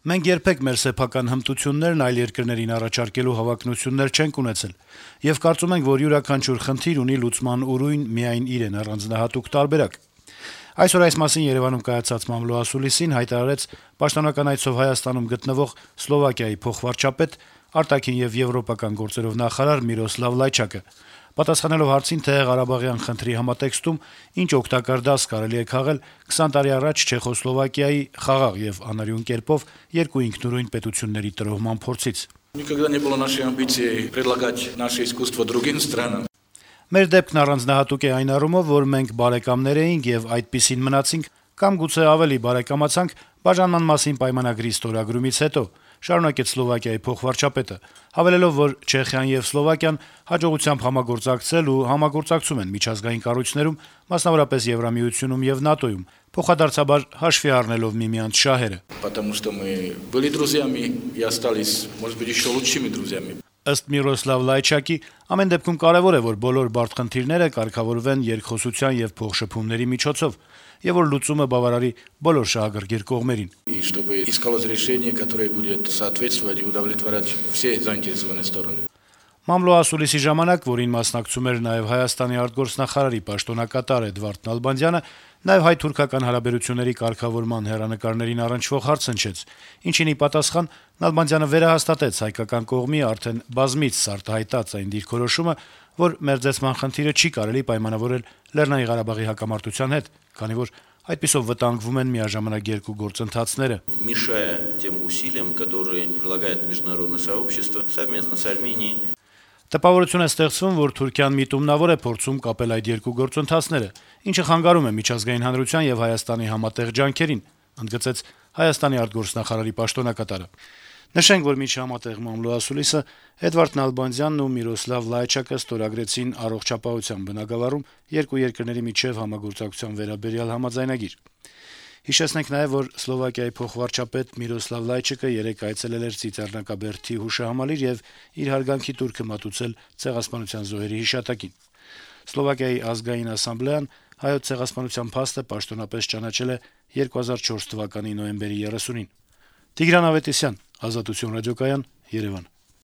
Մենք երբեք մեր սեփական հմտություններն այլ երկրներին առաջարկելու հավակնություններ չենք ունեցել, եւ կարծում ենք, որ յուրաքանչյուր խնդիր ունի լուծման ուրույն միայն իրեն առանձնահատուկ տարբերակ։ Այսօր այս մասին Երեւանում կայացած մամլո ասուլիսին հայտարարեց պաշտոնական այցով Հայաստանում գտնվող Սլովակիայի փոխվարչապետ, արտաքին եւ եվրոպական գործերով նախարար Միրոսլավ Լայչակը։ Պատասխանելով հարցին, թե Ղարաբաղյան խնդրի համատեքստում ինչ օգտակար դաս կարելի է քաղել 20 տարի առաջ Չեխոսլովակիայի խաղաղ եւ անարյուն կերպով երկու ինքնուրույն պետությունների տրոհման փորձից։ Никогда не было нашей амбицией предлагать наше искусство другим странам. Մեր դեպքն առանձնահատուկ է այն առումով, որ մենք բարեկամներ էինք եւ այդպիսին մնացինք, կամ գուցե ավելի բարեկամացանք բաժանման մասին պայմանագրի ստորագրումից հետո, շարունակեց Սլովակիայի փոխվարչապետը, հավելելով, որ Չեխիան եւ Սլովակիան հաջողությամբ համագործակցել ու համագործակցում են միջազգային կառույցներում, մասնավորապես Եվրամիությունում եւ ՆԱՏՕ-ում, փոխադարձաբար հաշվի առնելով միմյանց շահերը։ Потому что мы были друзьями и остались, может быть, еще лучшими друзьями. Ըստ Միրոսլավ Լայչակի, ամեն դեպքում կարեւոր է, որ բոլոր բարդ խնդիրները կարգավորվեն երկխոսության եւ փոխշփումների միջոցով, եւ որ լուծումը բավարարի բոլոր շահագրգիռ կողմերին։ И чтобы искалось решение, которое будет соответствовать и удовлетворять все заинтересованные стороны. Մամլո ասուլիսի ժամանակ, որին մասնակցում էր նաեւ Հայաստանի արտգործնախարարի պաշտոնակատար Էդվարդ Նալբանդյանը, նաեւ հայ-թուրքական հարաբերությունների կարգավորման հեռանկարներին առնչվող հարց հնչեց, ինչին ի պատասխան Նալբանդյանը վերահաստատեց հայկական կողմի արդեն բազմից արտահայտած այն դիրքորոշումը, որ մերձեցման խնդիրը չի կարելի պայմանավորել Լեռնային Ղարաբաղի հակամարտության հետ, քանի որ այդպիսով վտանգվում են միաժամանակ երկու գործընթացները։ Мешая тем усилиям, которые прилагает международное сообщество совместно с Арменией. Տպավորություն է ստեղծվում, որ Թուրքիան միտումնավոր է փորձում կապել այդ երկու գործընթացները, ինչը խանգարում է միջազգային հանրության եւ Հայաստանի համատեղ ջանքերին, ընդգծեց Հայաստանի արտգործնախարարի պաշտոնակատարը։ Նշենք, որ միջհամատեղ մամլո ասուլիսը Էդվարդ Նալբանդյանն ու Միրոսլավ Լայչակը ստորագրեցին առողջապահության բնագավառում երկու երկրների միջև համագործակցության վերաբերյալ համաձայնագիր։ Հիշեցնենք նաեւ, որ Սլովակիայի փոխվարչապետ Միրոսլավ Լայչակը երեկ այցելել էր Ծիծեռնակաբերդի հուշահամալիր եւ իր հարգանքի տուրքը մատուցել Ցեղասպանության զոհերի հիշատակին։ Սլովակիայի ազգային ասամբլեան հայոց ցեղասպանության փաստը պաշտոնապես ճանաչել է 2004 թվականի նոյեմբերի 30-ին։ Տիգրան Ավետիսյան, Ազատություն ռադիոկայան, Երևան։